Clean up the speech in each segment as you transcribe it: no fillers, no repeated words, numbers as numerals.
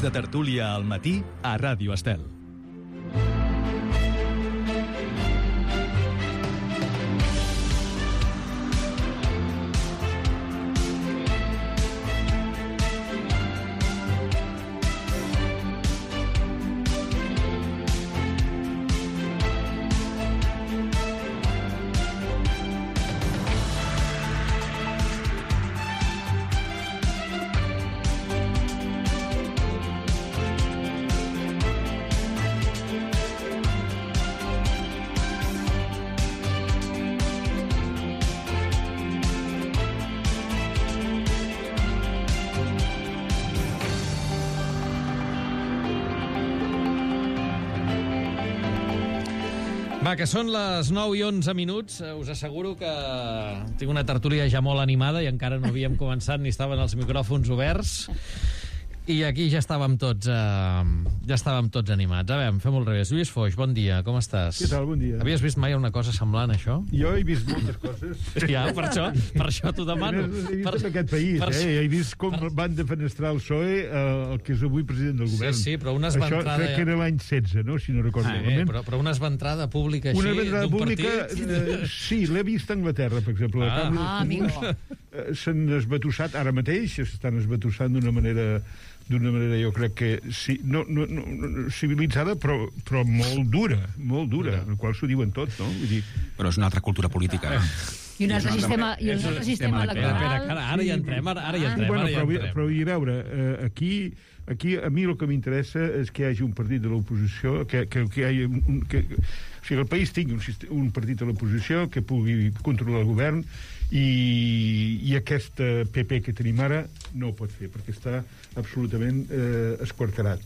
de tertúlia al matí a Ràdio Estel. Va, que són les 9 i 11 minuts. Us asseguro que tinc una tertúlia ja molt animada i encara no havíem començat ni estaven els micròfons oberts. I aquí ja estàvem tots animats. A veure, fem al revés. Lluís Foix, bon dia, com estàs? Què tal, bon dia. Havies vist mai una cosa semblant a això? Jo he vist moltes coses. Ja, per això t'ho demano. He vist en aquest país, he vist com van defenestrar el PSOE, el que és avui president del govern. Sí, però una esventrada... Això crec que era l'any 16, no?, si no recordo malament. Però una esventrada pública així, una esventrada pública, partit... sí, l'he vist a Anglaterra, per exemple. Amigo. S'han esbatussat, ara mateix s'estan esbatussant d'una manera jo crec que sí, no civilitzada, però molt dura, el qual s'ho diuen tot, no? Vull dir... Però és una altra cultura política. I un altre sistema electoral. Ara hi entrem. Però i a veure, aquí a mi el que m'interessa és que hi hagi un partit de l'oposició, que hi hagi o sigui, el país tingui un partit de l'oposició que pugui controlar el govern, i aquesta PP que tenim ara no ho pot fer, perquè està absolutament esquarterat.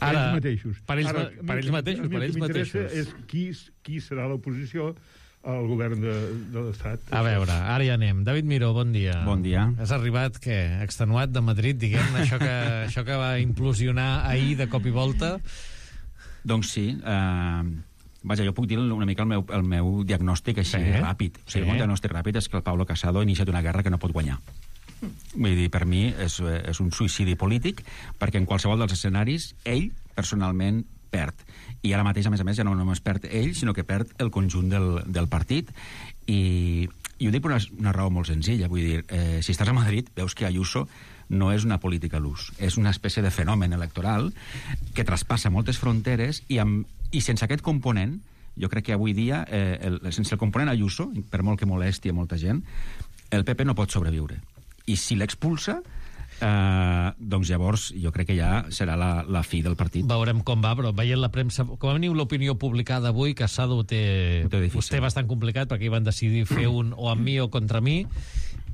Ara, ells mateixos. Per ells mateixos. El que m'interessa és qui serà l'oposició al govern de l'Estat. A veure, ara ja anem. David Miró, bon dia. Bon dia. Has arribat, què? Extenuat de Madrid, diguem-ne, això que va implosionar ahir de cop i volta? Doncs sí, vaja, jo puc dir una mica el meu diagnòstic així ràpid. O sigui, el meu diagnòstic ràpid és que el Pablo Casado ha iniciat una guerra que no pot guanyar. Vull dir, per mi és un suïcidi polític, perquè en qualsevol dels escenaris ell personalment perd. I ara mateix, a més, ja no només perd ell, sinó que perd el conjunt del partit. I ho dic per una raó molt senzilla. Vull dir, si estàs a Madrid, veus que Ayuso no és una política a l'ús. És una espècie de fenomen electoral que traspassa moltes fronteres i sense aquest component, jo crec que avui dia, sense el component Ayuso, per molt que molesti a molta gent, el PP no pot sobreviure. I si l'expulsa, doncs llavors jo crec que ja serà la fi del partit. Veurem com va, però veient la premsa, com a mínim l'opinió publicada avui, Casado ho té bastant complicat, perquè hi van decidir fer un o amb mi o contra mi,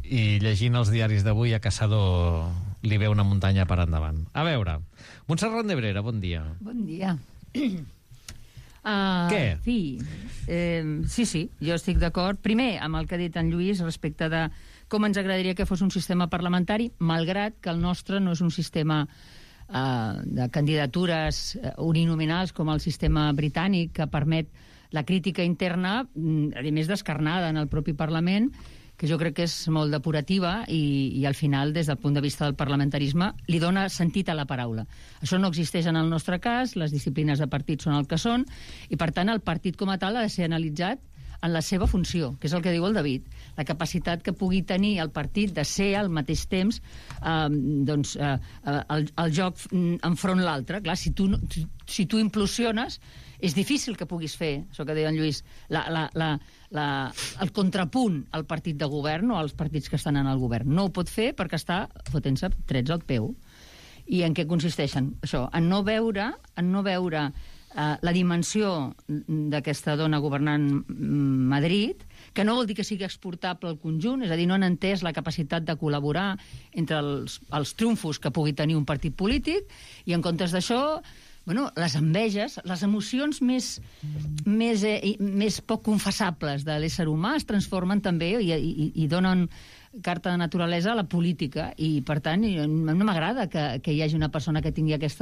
i llegint els diaris d'avui a Casado li ve una muntanya per endavant. A veure, Montserrat Nebrera, bon dia. Bon dia. Què? Sí, jo estic d'acord. Primer, amb el que ha dit en Lluís respecte de com ens agradaria que fos un sistema parlamentari, malgrat que el nostre no és un sistema de candidatures uninominals com el sistema britànic, que permet la crítica interna, a més descarnada en el propi Parlament, que jo crec que és molt depurativa i al final, des del punt de vista del parlamentarisme, li dona sentit a la paraula. Això no existeix en el nostre cas, les disciplines de partit són el que són, i per tant el partit com a tal ha de ser analitzat en la seva funció, que és el que diu el David, la capacitat que pugui tenir el partit de ser al mateix temps el joc enfront l'altre. Clar, si tu implosiones, és difícil que puguis fer, això que deia en Lluís, el contrapunt al partit de govern o als partits que estan en el govern. No ho pot fer perquè està fotent-se trets al peu. I en què consisteixen? Això, en no veure la dimensió d'aquesta dona governant Madrid, que no vol dir que sigui exportable al conjunt, és a dir, no han entès la capacitat de col·laborar entre els triomfos que pugui tenir un partit polític, i en comptes d'això, les enveges, les emocions més poc confessables de l'ésser humà es transformen també i donen carta de naturalesa a la política, i per tant no m'agrada que hi hagi una persona que tingui aquest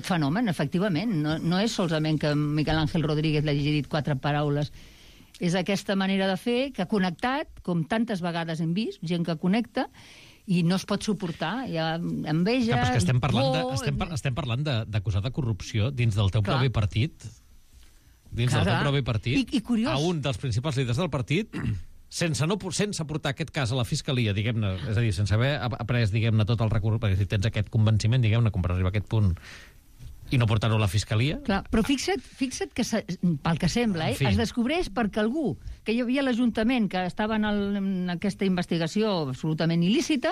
fenomen, efectivament. No és solament que Miquel Ángel Rodríguez li hagi dit 4 paraules, és aquesta manera de fer que ha connectat, com tantes vegades hem vist, gent que connecta, i no es pot suportar, hi ha enveja, és que estem parlant d'acusar de corrupció dins del teu propi partit, I curiós, a un dels principals líders del partit, sense portar aquest cas a la fiscalia, diguem-ne, és a dir, sense haver après, diguem-ne, tot el recurs, perquè si tens aquest convenciment, diguem-ne, com per arribar a aquest punt i no portar-ho a la fiscalia... Clar, però fixa't que, pel que sembla, es descobreix perquè algú que hi havia a l'Ajuntament que estava en aquesta investigació absolutament il·lícita,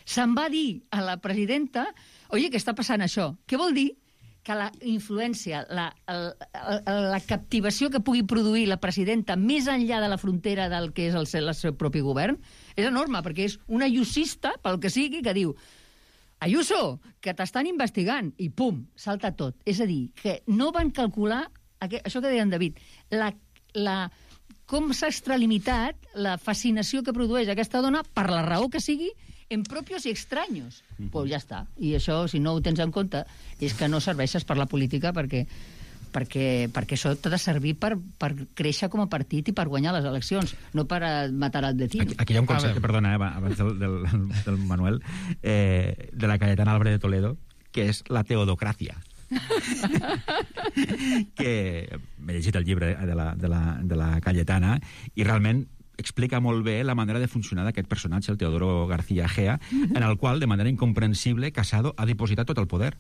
se'n va dir a la presidenta, oye, que està passant això. Què vol dir? Que la influència, la captivació que pugui produir la presidenta més enllà de la frontera del que és el seu propi govern és enorme, perquè és una ayusista, pel que sigui, que diu Ayuso, que t'estan investigant, i pum, salta tot. És a dir, que no van calcular, això que deia en David, com s'ha extralimitat la fascinació que produeix aquesta dona, per la raó que sigui, en propios i extraños. Pues ja està. I això, si no ho tens en compte, és que no serveixes per la política perquè això t'ha de servir per créixer com a partit i per guanyar les eleccions, no per matar al vecino. Aquí hi ha un concepte, perdona, abans del Manuel, de la Cayetana Álvarez de Toledo, que és la teodocràcia. Que m'he llegit el llibre de la Cayetana i realment explica molt bé la manera de funcionar d'aquest personatge, el Teodoro García Egea, en el qual, de manera incomprensible, Casado ha dipositat tot el poder.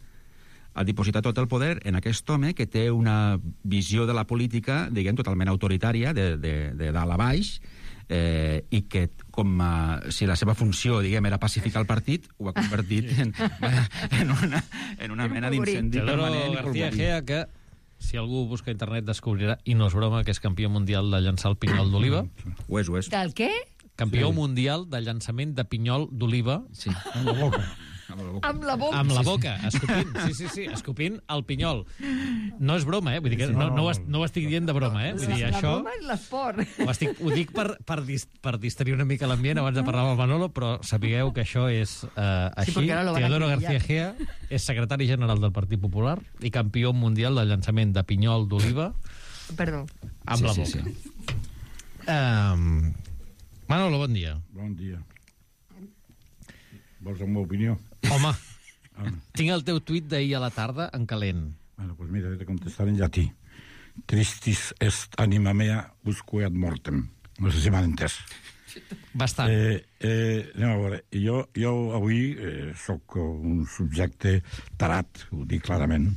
Ha dipositat tot el poder en aquest home que té una visió de la política, diguem, totalment autoritària, de dalt a baix, i que, com si la seva funció, diguem, era pacificar el partit, ho ha convertit en una mena d'incendi permanent. Teodoro García Egea, que si algú busca a internet descobrirà, i no és broma, que és campió mundial de llançar el pinyol d'oliva. Ho és. Del què? Campió mundial de llançament de pinyol d'oliva. Sí. Amb la boca. Amb la boca. Amb la boca, escopint. Sí, escopint el pinyol. No és broma, vull dir que no ho estic dient de broma, Vull dir, la això... broma és l'esport. Ho dic per distrair una mica l'ambient abans de parlar amb el Manolo, però sapigueu que això és així. Teodoro García Egea és secretari general del Partit Popular i campió mundial del llançament de pinyol d'oliva. Perdó. Amb la boca. Manolo, bon dia. Bon dia. Vols la meva opinió? Home, tinc el teu tuit d'ahir a la tarda en calent. Bueno, pues mira, he de contestar en llatí. Tristis est anima mea usque ad mortem. No sé si m'han entès. Bastant. Anem a veure. Jo avui sóc un subjecte tarat, ho dic clarament,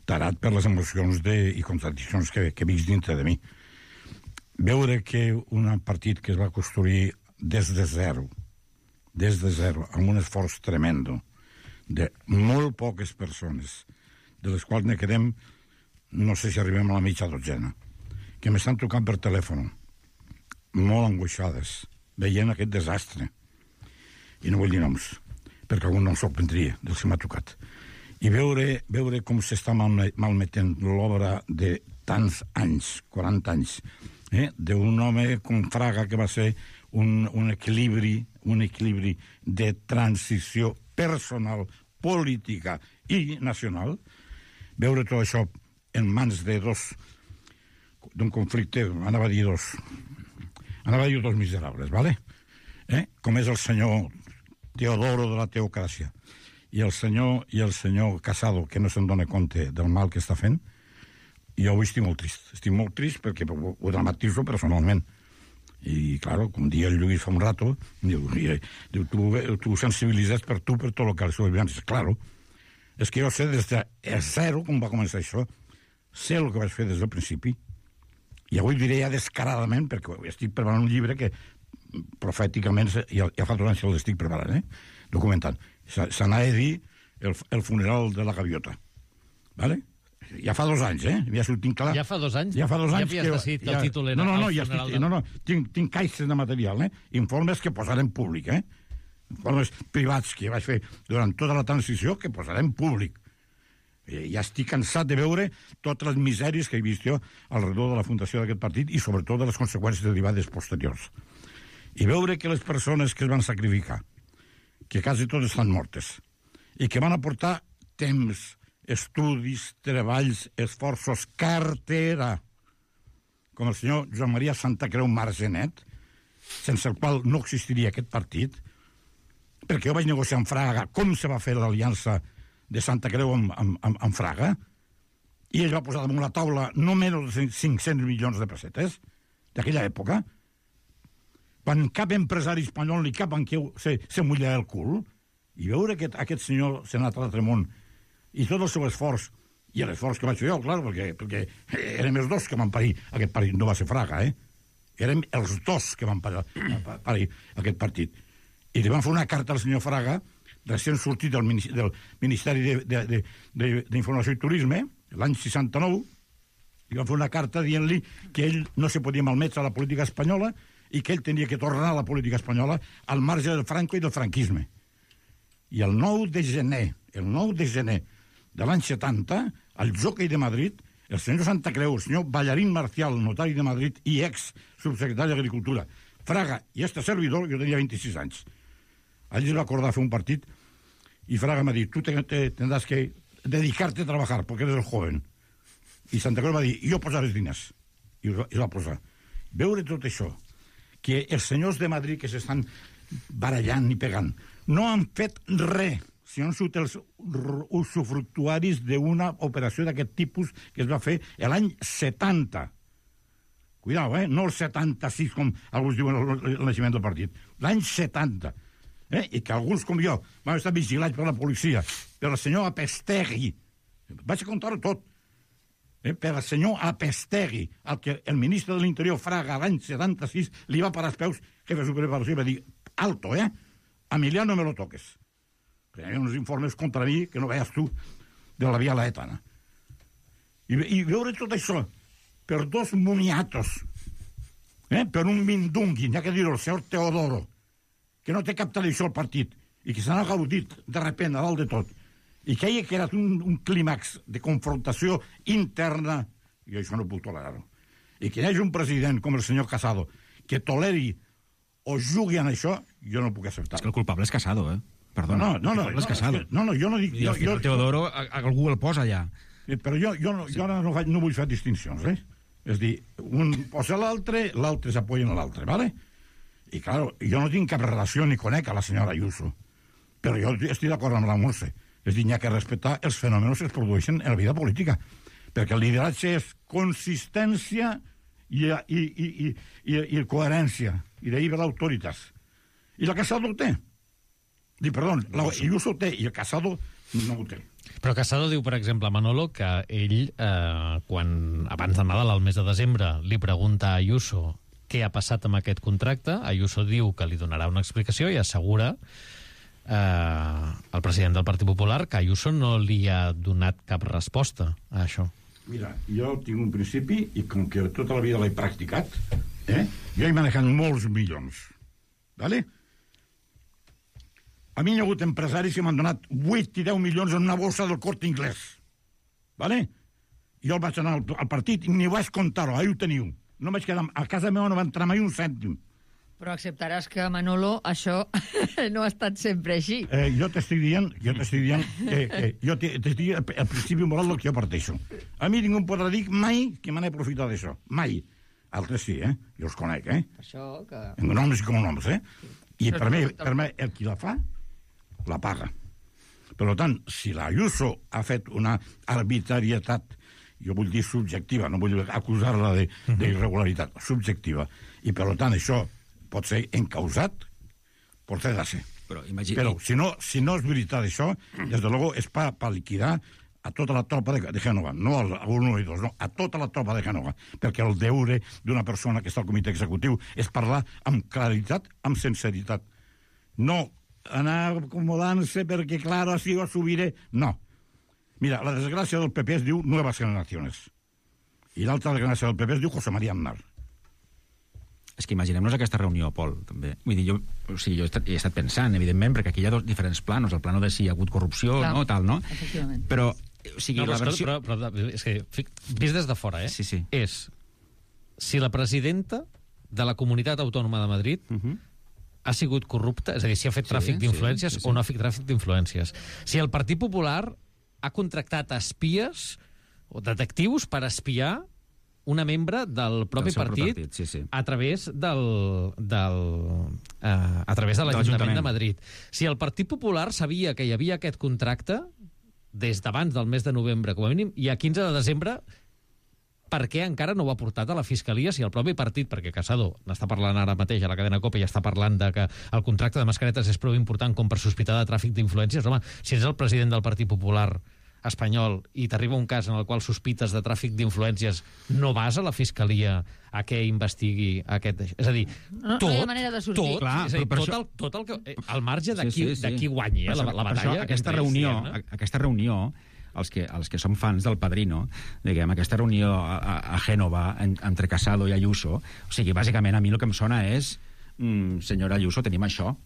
tarat per les emocions i contradiccions que visc dintre de mi. Veure que un partit que es va construir des de zero, amb un esforç tremendo, de molt poques persones, de les quals ne quedem, no sé si arribem a la mitja dotzena, que m'estan trucant per telèfon, molt angoixades, veient aquest desastre. I no vull dir noms, perquè algun nom sorprendria dels que m'ha trucat. I veure com s'està malmetent l'obra de tants anys, 40 anys, d'un home com Fraga, que va ser un equilibri de transició personal, política i nacional, veure tot això en mans d'un conflicte, anava a dir dos miserables, ¿vale? Com és el senyor Teodoro de la teocràcia i el senyor Casado, que no se'n dona compte del mal que està fent. Jo avui estic molt trist perquè ho dramatitzo personalment. I, claro, com dia el Lluís fa un rato, diu, tu sensibilitzes per tot el que ha sigut abans. Claro, és que jo sé des de zero com va començar això, sé el que vaig fer des del principi, i avui diré ja descaradament, perquè estic preparant un llibre que profèticament ja fa 2 anys que l'estic preparant, documentant. S'anava a dir el funeral de la gaviota, ¿vale? Ja fa 2 anys, ja s'ho tinc clar. Ja fa 2 anys? Ja fa 2 anys. Ja havies decidit que el títol era el funeral de... Tinc caixes de material, informes que posarem públic, informes privats que vaig fer durant tota la transició que posarem públic. Ja estic cansat de veure totes les misèries que he vist jo alrededor de la fundació d'aquest partit i sobretot de les conseqüències derivades posteriors. I veure que les persones que es van sacrificar, que quasi totes estan mortes, i que van aportar temps, estudis, treballs, esforços, cartera, com el senyor Joan Maria Santacreu Margenet, sense el qual no existiria aquest partit, perquè jo vaig negociar amb Fraga com se va fer l'aliança de Santa Creu amb Fraga, i ell va posar damunt la taula no menys de 500 milions de pessetes d'aquella època, quan cap empresari espanyol ni cap banquer se mullava el cul, i veure que aquest senyor s'ha anat a l'altre món, i tot el seu esforç, i l'esforç que vaig fer jo, clar, perquè érem els dos que van parir aquest partit, no va ser Fraga, érem els dos que van parir aquest partit. I li van fer una carta al senyor Fraga, recent sortit del Ministeri d'Informació i Turisme, l'any 69, li van fer una carta dient-li que ell no se podia malmetre a la política espanyola i que ell tenia que tornar a la política espanyola al marge del Franco i del franquisme. I el 9 de gener de l'any 70, al Jockey de Madrid, el senyor Santa Creu, el senyor Ballarín Marcial, notari de Madrid i ex-subsecretari d'Agricultura, Fraga i este servidor, jo tenia 26 anys. Allí es va acordar fer un partit y Fraga me ha dit, tú tendrás que dedicarte a trabajar porque eres el joven. I Santa Creu va dir, jo posaré els diners. I es va posar. Veure tot això, que els senyors de Madrid que s'estan barallant i pegant, no han fet res, si no han sigut els usufructuaris d'una operació d'aquest tipus que es va fer l'any 70. Cuidao, no el 76, com alguns diuen el naixement del partit. L'any 70. I que alguns, com jo, van estar vigilats per la policia, per el senyor Apestegui. Vaig a contar-ho tot. Per el senyor Apestegui, al que el ministre de l'Interior, Fraga, l'any 76, li va parar els peus, jefe superior de policia, i va dir, alto, Emiliano, no me lo toques. Hi ha uns informes contra mi que no veies tu de la via laetana. I veure tot això per dos moniatos, per un mindungui, n'hi ha que dir-ho, el senyor Teodoro, que no té cap televisió al partit, i que se n'ha gaudit de repent a dalt de tot, i que hagi creat un clímax de confrontació interna, i això no puc tolerar-ho. I que hi hagi un president com el senyor Casado que toleri o jugui en això, jo no puc acceptar. És que el culpable és Casado, Perdona. No, és Casado. No, jo no dic... I el Teodoro, algú el posa allà. Però jo no vull fer distincions, És dir, un posa l'altre s'apoyen a l'altre, ¿vale? I, clar, jo no tinc cap relació ni conec a la senyora Ayuso, però jo estic d'acord amb la Montse. És dir, hi ha que respectar els fenòmenos que es produeixen en la vida política, perquè el lideratge és consistència i coherència, i d'ahir ve l'autoritat. I la Casado ho té. Perdó, la Ayuso ho té, i el Casado no ho té. Però Casado diu, per exemple, a Manolo, que ell, quan abans de Nadal, al mes de desembre, li pregunta a Ayuso què ha passat amb aquest contracte, Ayuso diu que li donarà una explicació i assegura al president del Partit Popular que Ayuso no li ha donat cap resposta a això. Mira, jo tinc un principi i com que tota la vida l'he practicat, jo he manejat molts milions, ¿vale? A mi hi ha hagut empresaris que m'han donat 8 i 10 milions en una bossa del Corte Inglés, ¿vale? Jo vaig anar al partit i ni vaig comptar-ho, ahí ho teniu. No vaig quedar... A casa meva no va entrar mai un cèntim. Però acceptaràs que, Manolo, això no ha estat sempre així. Jo t'estic dient jo t'estic dient el principi moral del que jo parteixo. A mi ningú podrà dir mai que me n'he aprofitat d'això. Mai. Altres sí, jo els conec, Això que... En noms i com noms, I per mi, el qui la fa, la paga. Per tant, si la Ayuso ha fet una arbitrarietat, jo vull dir subjectiva, no vull acusar-la d'irregularitat, subjectiva, i per tant això pot ser encausat, pot ser de ser. Però si no és veritat això, des de luego és per liquidar a tota la tropa de Génova, no a uno i dos, no, a tota la tropa de Génova, perquè el deure d'una persona que està al comitè executiu és parlar amb claritat, amb sinceritat. No anar acomodant-se perquè, clar, així ho subiré. No. Mira, la desgràcia del PP es diu Nuevas Generaciones. I l'altra desgràcia del PP es diu José María Aznar. És que imaginem-nos aquesta reunió, Pol, també. Vull dir, jo he estat pensant, evidentment, perquè aquí hi ha dos diferents planos, el plano de si hi ha hagut corrupció, clar, no, tal, no? Efectivament. Però, o sigui, no, la versió... Però és que, vist des de fora, Sí, sí. És si la presidenta de la Comunitat Autònoma de Madrid ha sigut corrupta, és a dir, si ha fet tràfic d'influències o no ha fet tràfic d'influències. Si el Partit Popular ha contractat espies o detectius per espiar una membre del propi partit, sí. a través de l'Ajuntament de Madrid. Si el Partit Popular sabia que hi havia aquest contracte des d'abans del mes de novembre, com a mínim, i a 15 de desembre, per què encara no ho ha portat a la Fiscalia si el propi partit, perquè Casado n'està parlant ara mateix a la cadena COPE i està parlant de que el contracte de mascaretes és prou important com per sospitar de tràfic d'influències? Home, si ets el president del Partit Popular espanyol i t'arriba un cas en el qual sospites de tràfic d'influències, no vas a la Fiscalia a que investigui aquest... És a dir, tot... No hi ha manera de sortir. Tot, clar, és a dir, però tot el que... Al marge de qui guanyi la batalla... Aquesta reunió, els que som fans del Padrino, diguem, aquesta reunió a Gènova entre Casado i Ayuso, o sigui, bàsicament a mi el que em sona és senyora Ayuso, tenim això,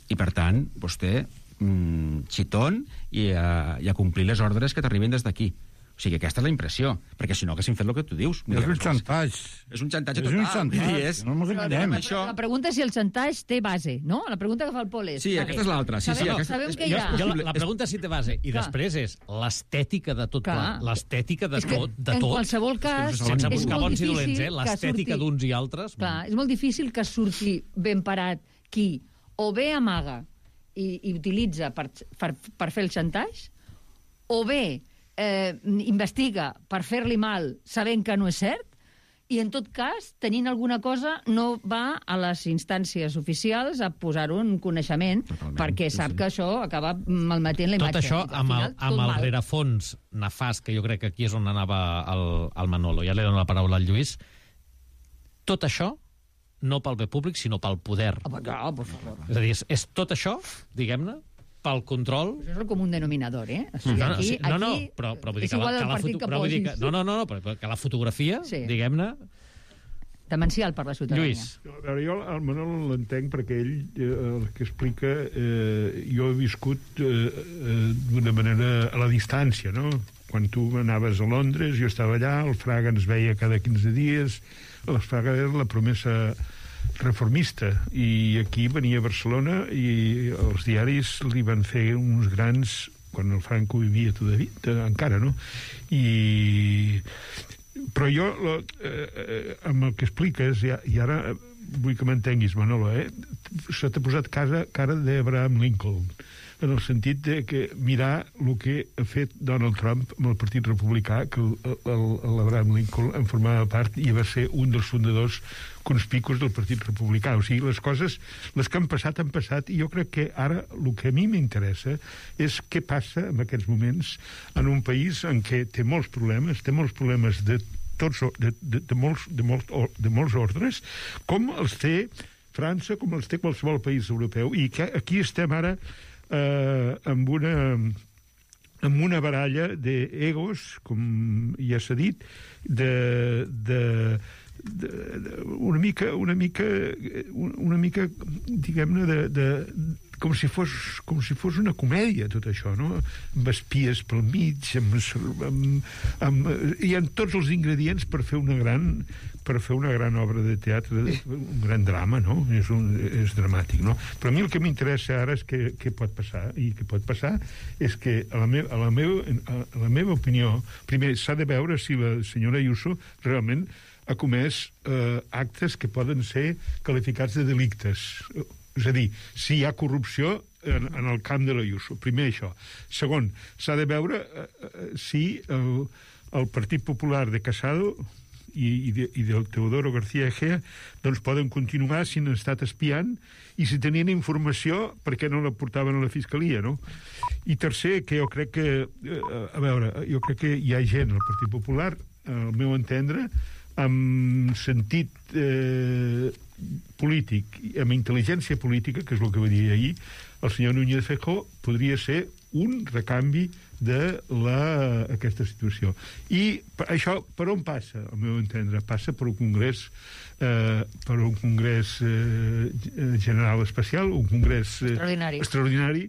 i per tant, vostè xitón i a complir les ordres que t'arriben des d'aquí. O sigui, aquesta és la impressió, perquè si no haguéssim fet el que tu dius. És un xantatge. És un xantatge total. És un xantatge, no ens enganyem. La pregunta és si el xantatge té base, no? La pregunta que fa el Pol és... Sí, aquesta és l'altra. Sabem que hi ha... La pregunta és si té base. I després és l'estètica de tot. L'estètica de tot. En qualsevol cas... Sense buscar bons i dolents, l'estètica d'uns i altres... Clar, és molt difícil que surti ben parat qui o bé amaga i utilitza per fer el xantatge, o bé investiga per fer-li mal sabent que no és cert, i en tot cas, tenint alguna cosa, no va a les instàncies oficials a posar-ho en coneixement, perquè sap que això acaba malmetent la imatge. Tot això amb el rerefons nefast, que jo crec que aquí és on anava el Manolo. Ja li dono la paraula al Lluís. Tot això no pel bé públic, sinó pel poder. És a dir, és tot això, diguem-ne, pel control... Això és el comú denominador, eh? O sigui, però vull dir que la fotografia, diguem-ne... Demencial per la ciutadania. Lluís. A veure, jo el Manol l'entenc perquè ell, el que explica, jo he viscut d'una manera a la distància, no? Quan tu anaves a Londres, jo estava allà, el Fraga ens veia cada 15 dies, el Fraga era la promesa reformista, i aquí venia a Barcelona i els diaris li van fer uns grans, quan el Franco vivia encara, no? Però jo, amb el que expliques, i ara vull que m'entenguis, Manolo, se t'ha posat cara d'Abraham Lincoln, en el sentit de que mirar el que ha fet Donald Trump amb el Partit Republicà, que l'Abraham Lincoln en formava part i va ser un dels fundadors conspicus del Partit Republicà. O sigui, les coses, les que han passat, i jo crec que ara el que a mi m'interessa és què passa en aquests moments en un país en què té molts problemes de molts ordres, com els té França, com els té qualsevol país europeu, i que aquí estem ara amb una baralla d'egos, com ja s'ha dit, una mica diguem-ne, com si fos una comèdia, tot això, no? Amb espies pel mig, hi ha tots els ingredients per fer una gran obra de teatre, un gran drama, no? És dramàtic, no? Però a mi el que m'interessa ara és què pot passar, i què pot passar és que, a la meva opinió, primer s'ha de veure si la senyora Ayuso realment ha comès actes que poden ser qualificats de delictes. És a dir, si hi ha corrupció en el camp de l'Ayuso. Primer això. Segon, s'ha de veure si el Partit Popular de Casado i del Teodoro García Egea doncs poden continuar si han estat espiant, i si tenien informació, per què no la portaven a la Fiscalia, no? I tercer, que jo crec que jo crec que hi ha gent al Partit Popular, al meu entendre, amb sentit polític, amb intel·ligència política, que és el que va dir ahir el senyor Núñez Feijóo, podria ser un recanvi d'aquesta situació. I això per on passa, al meu entendre? Passa per un congrés general especial, un congrés extraordinari,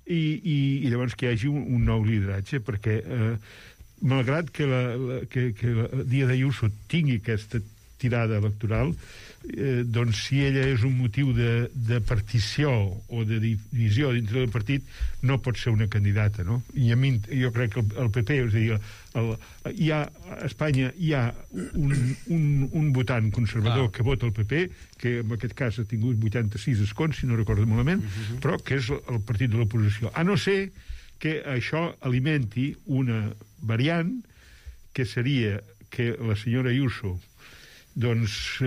i llavors que hi hagi un nou lideratge, perquè malgrat que el dia d'Ayuso tingui aquesta tirada electoral, doncs si ella és un motiu de partició o de divisió dintre del partit, no pot ser una candidata, no? I a mi, jo crec que el PP, és a dir, a Espanya hi ha un votant conservador que vota el PP, que en aquest cas ha tingut 86 escons, si no recordo malament, però que és el partit de l'oposició. A no ser que això alimenti una variant que seria que la senyora Ayuso doncs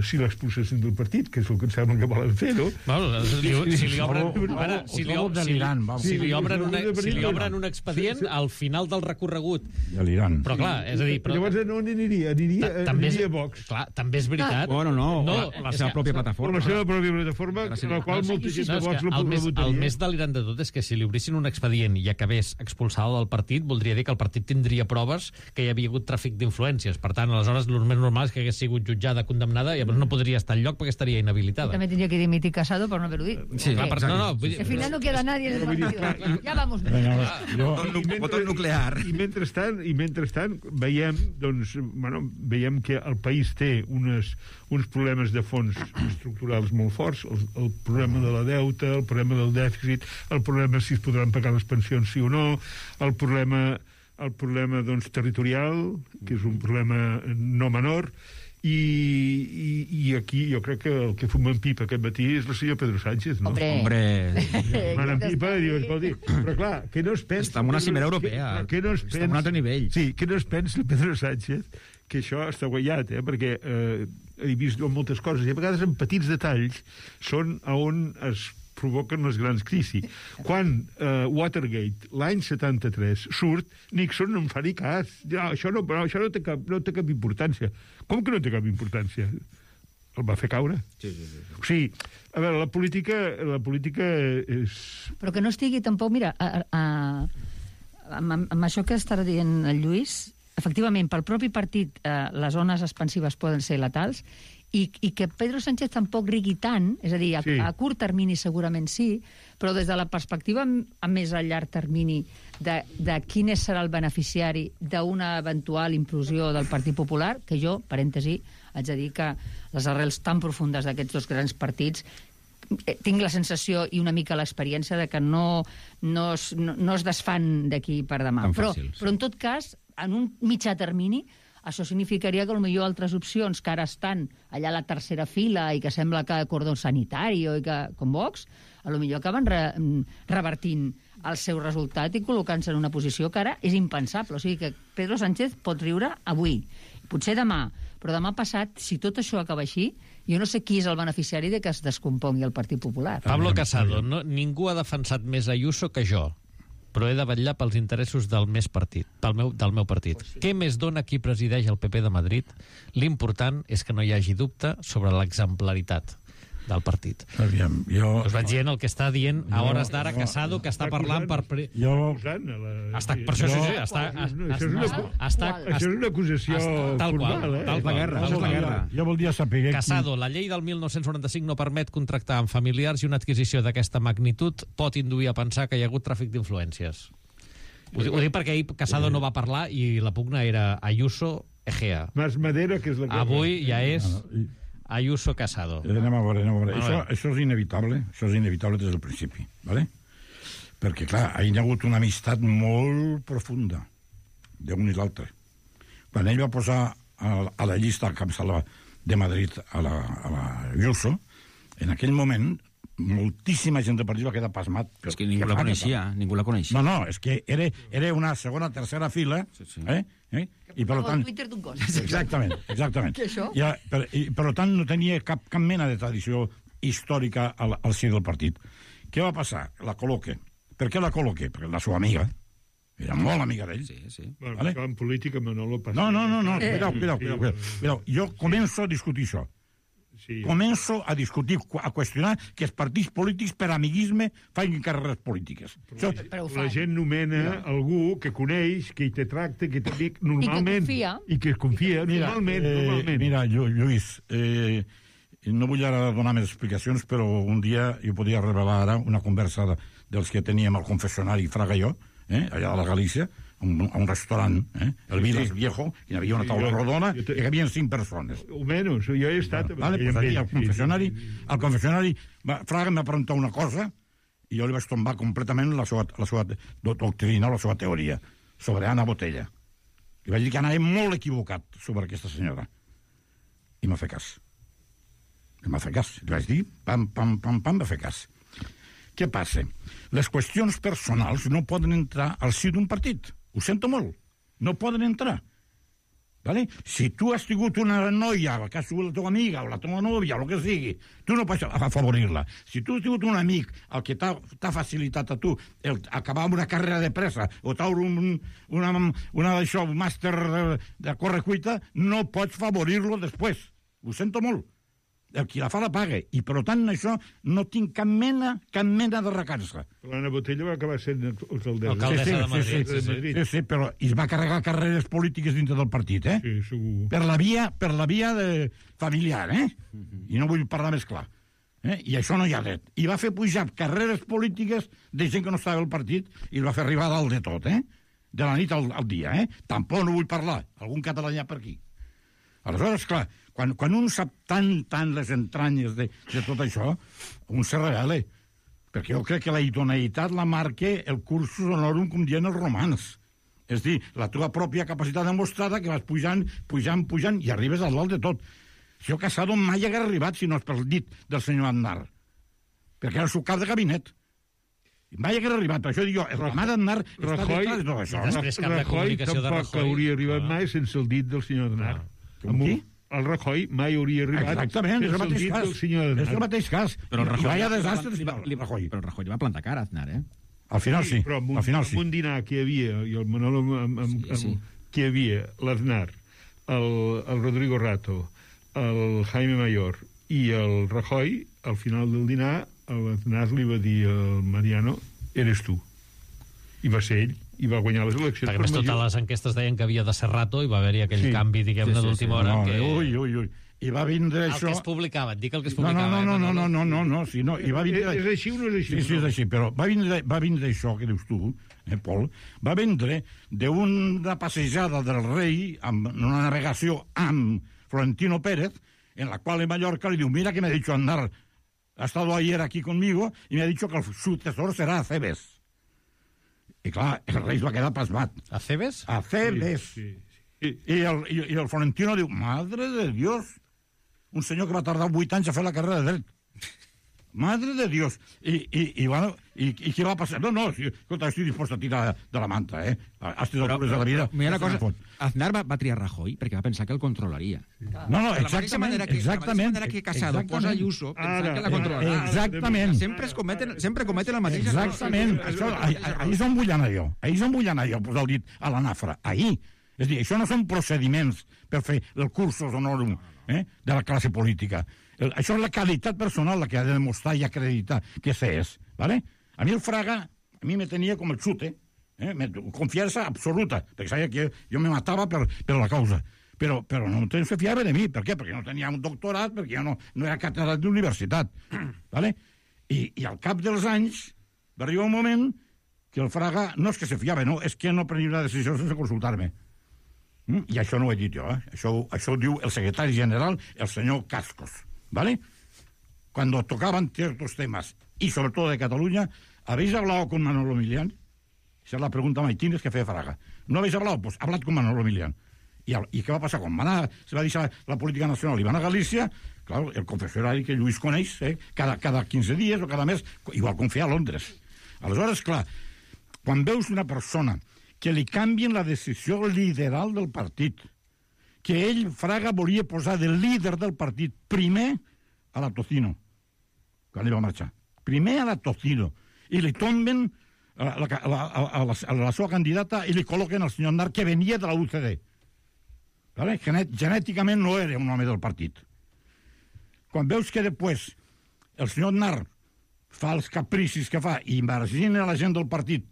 si l'expulsessin del partit, que és el que em sembla que volen fer, no? Si li obren un expedient al final del recorregut. De l'Iran. Però clar, és a dir... Llavors no aniria a Vox. Clar, també és veritat. Bueno, no, la seva pròpia plataforma. La seva pròpia plataforma, en la qual molta gent de Vox la votaria. El més delirant de tot és que si li obrissin un expedient i acabés expulsada del partit, voldria dir que el partit tindria proves que hi havia hagut tràfic d'influències. Per tant, aleshores, el més normal és que hagués sigut jutjada, condemnada, i llavors no podria estar al lloc perquè estaria inhabilitada. També tindria que dimitir Casado per no haver-ho dit. Sí, clar, al final no queda nadie en el partido. Ja vamos. Botón nuclear. I mentrestant veiem, doncs, veiem que el país té uns problemes de fons estructurals molt forts, el problema de la deuta, el problema del dèficit, el problema si es podran pagar les pensions sí o no, el problema doncs, territorial, que és un problema no menor, i aquí jo crec que el que fuma en pipa aquest matí és el senyor Pedro Sánchez, no? Hombre. Fumant en pipa, però clar, que no es pensa... Està en una cimera europea, està en un altre nivell. Sí, que no es pensa Pedro Sánchez que això està guanyat, perquè he vist moltes coses, i a vegades en petits detalls són on es provoquen les grans crisis. Quan Watergate, l'any 73, surt, Nixon no en fa ni cas. Això no té cap importància. Com que no té cap importància? El va fer caure. Sí. O sigui, a veure, la política és... Però que no estigui tampoc, mira, amb això que estarà dient el Lluís, efectivament, pel propi partit les zones expansives poden ser letals, i que Pedro Sánchez tampoc rigui tant, és a dir, a curt termini segurament sí, però des de la perspectiva a més a llarg termini de quin serà el beneficiari d'una eventual implosió del Partit Popular, que jo, parèntesi, haig de dir que les arrels tan profundes d'aquests dos grans partits tinc la sensació i una mica l'experiència de que no es desfan d'aquí per demà. Però en tot cas, en un mitjà termini, això significaria que potser altres opcions que ara estan allà a la tercera fila i que sembla que cordó sanitari i que, com Vox, potser acaben revertint el seu resultat i col·locant-se en una posició que ara és impensable. O sigui que Pedro Sánchez pot riure avui, potser demà, però demà passat, si tot això acaba així, jo no sé qui és el beneficiari de que es descompongui el Partit Popular. Pablo Casado, ningú ha defensat més Ayuso que jo, però he de vetllar pels interessos del meu partit. Què més dona qui presideix el PP de Madrid? L'important és que no hi hagi dubte sobre l'exemplaritat del partit. Aviam, jo... Us vaig dient el que està dient a hores d'ara Casado, que està parlant per... Per això és una acusació formal, tal qual. Jo voldria saber... Casado, la llei del 1995 no permet contractar amb familiars i una adquisició d'aquesta magnitud pot induir a pensar que hi ha hagut tràfic d'influències. Ho dic perquè ahir Casado no va parlar i la pugna era Ayuso Egea. Mas Madera, que és la que... Avui ja és... Ayuso Casado. Anem a veure. Això és inevitable des del principi, ¿vale? Perquè, clar, hi ha hagut una amistat molt profunda d'un i l'altre. Quan ell va posar a la llista al capçalà de Madrid a la Ayuso, en aquell moment moltíssima gent del partit va quedar pasmat. És que ningú la coneixia. No, és que era una segona, tercera fila, i per tant... Exactament. Què això? I per tant no tenia cap mena de tradició històrica al si del partit. Què va passar? La col·loque. Per què la col·loque? Perquè la seva amiga era molt amiga d'ell. Sí. Bueno, en política Manolo passa... No. Mireu, jo començo a discutir això. Sí. Començo a discutir, a qüestionar que els partits polítics per amiguisme facin carreres polítiques. La gent nomena algú que coneix, que hi té tracte, que té amic, normalment. I que confia. Normalment. Mira, Lluís, no vull ara donar més explicacions, però un dia jo podria revelar ara una conversa dels que teníem al confessionari Fraga i jo, allà a la Galícia, a un restaurant, el Vilas Viejo, i hi havia una taula rodona i hi havia 5 persones. O menys, jo he estat... Vale, pues allí, al confessionari, Fraga m'ha preguntat una cosa i jo li vaig tombar completament la seva doctrina, la seva teoria, sobre Ana Botella. Li vaig dir que anava molt equivocat sobre aquesta senyora. I m'ha fet cas. Li vaig dir, pam, va fer cas. Què passa? Les qüestions personals no poden entrar al si d'un partit. Ho sento molt. No poden entrar. Vale? Si tu has tingut una noia, que ha sigut la teva amiga o la teva nòvia, o el que sigui, tu no pots afavorir-la. Si tu has tingut un amic el que t'ha facilitat a tu acabar amb una carrera de pressa o t'obre una d'això, un màster de correcuita, no pots favorir-lo després. Ho sento molt. El qui la fa la paga, i per tant això no tinc cap mena de recança. L'Anna Botella va acabar sent alcaldessa de Madrid. Sí, però es va carregar carreres polítiques dintre del partit, Sí, segur. Per la via familiar, I no vull parlar més clar. I això no hi ha dret. I va fer pujar carreres polítiques de gent que no estava al partit i el va fer arribar dalt de tot, de la nit al dia, Tampoc no vull parlar. Algun català hi ha per aquí. Aleshores, clar, quan un sap tant les entranyes de tot això, un se revela. Perquè jo crec que la idoneïtat la marca el cursus honorum, com diuen els romans. És dir, la teva pròpia capacitat demostrada que vas pujant, i arribes al dalt de tot. El senyor Casado mai hagués arribat si no és pel dit del senyor Aznar. Perquè era el seu cap de gabinet. Mai hagués arribat, per això dic jo, el romà d'Aznar està detrás de tot això. Rajoy tampoc hauria arribat mai sense el dit del senyor Aznar. Com qui? El Rajoy mai hauria arribat exactament, és el mateix cas. Però el Rajoy... Vaya desastre, Rajoy. Però el Rajoy li va plantar cara a Aznar, Al final sí. Però amb un dinar que hi havia, i el Manolo que hi havia l'Aznar, el Rodrigo Rato, el Jaime Mayor i el Rajoy, al final del dinar, l'Aznar li va dir al Mariano, eres tu. I va ser ell. I va guanyar les eleccions. Perquè més totes les enquestes deien que havia de ser Rato i va haver-hi aquell canvi, diguem-ne, d'última hora. Ui. I va vindre això... El que es publicava, et dic el que es publicava. No. I va vindre... És així o no és així? Sí, és així, però va vindre això que dius tu, Pol, va vindre d'una passejada del rei, amb una navegació amb Florentino Pérez, en la qual en Mallorca li diu, mira que me ha dicho Aznar, ha estado ayer aquí conmigo y me ha dicho que el sucesor será Acebes. I clar, el rei va quedar pasmat. Acebes? Acebes. Sí. I el Florentino diu, madre de Dios, un senyor que va tardar 8 anys a fer la carrera de dret. Madre de Dios. I què va passar? No, escolta, estic dispost a tirar de la manta, Has tirat de la vida. Mira una cosa, Aznar va triar Rajoy perquè va pensar que el controlaria. No, exactament. De la mateixa manera que Casado posa Ayuso, pensant que la controlarà. Exactament. Sempre cometen la mateixa cosa. Exactament. Ahir és on vull anar jo. Posar el dit a la nafra. Ahir. És a dir, això no són procediments per fer el cursus honorum de la classe política. Això és la qualitat personal la que ha de demostrar i acreditar que se és. ¿Vale? A mi el Fraga, a mi me tenia com el xute, confiança absoluta, perquè sabia que jo me matava per la causa. Però no se fiava de mi. Per què? Perquè no tenia un doctorat, perquè jo no era catedràtic d'universitat. ¿Vale? I al cap dels anys va arribar un moment que el Fraga no és que se fiava, no, és que no prenia una decisió sense consultar-me. I això no ho he dit jo, Això ho diu el secretari general, el senyor Cascos. ¿Vale? Cuando tocaban ciertos temas, y sobre todo de Cataluña, ¿habéis hablado con Manolo Milián? Esa es la pregunta maitines que feia Fraga. ¿No habéis hablado? Pues hablad con Manolo Milián. ¿Y qué va a pasar? Quan se va deixar la política nacional i van a Galícia, claro, el confessionari que Lluís coneix, cada 15 dies o cada mes, igual confia a Londres. Aleshores, clar, quan veus una persona que li canvien la decisió lideral del partit, que ell, Fraga, volia posar de líder del partit primer a la Tocino, quan ell va marxar. Primer a la Tocino. I li tomben a la seva candidata i li col·loquen al senyor Aznar, que venia de la UCD. ¿Vale? Genèticament no era un home del partit. Quan veus que després el senyor Aznar fa els capricis que fa i margina la gent del partit,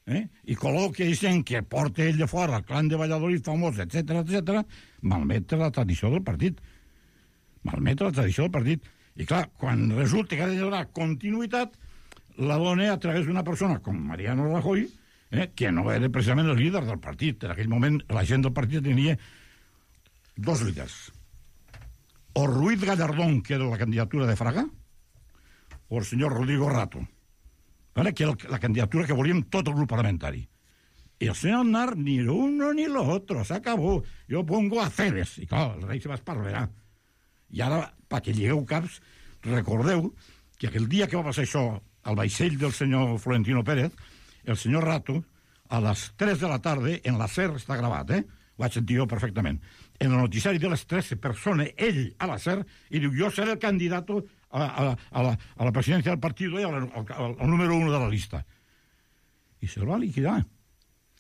i col·loca gent que porta ell de fora, el clan de Valladolid famós, etc., malmetre la tradició del partit. I clar, quan resulta que ha de donar continuïtat, la dona a través d'una persona com Mariano Rajoy, que no era precisament el líder del partit. En aquell moment la gent del partit tenia dos líders. O Ruiz Gallardón, que era la candidatura de Fraga, o el senyor Rodrigo Rato, que era la candidatura que volíem tot el grup parlamentari. Y el señor Aznar, ni lo uno ni lo otro, se acabó. Yo pongo a Ceres. I clar, el rei se va esparverar. I ara, perquè llegueu caps, recordeu que aquell dia que va passar això al vaixell del senyor Florentino Pérez, el senyor Rato, a les 3 de la tarda, en la SER, està gravat, ho vaig sentir jo perfectament, en el noticiari de les 3 se persona ell a la SER i diu, jo seré el candidat a la presidència del partit i al número 1 de la llista. I se'l va liquidar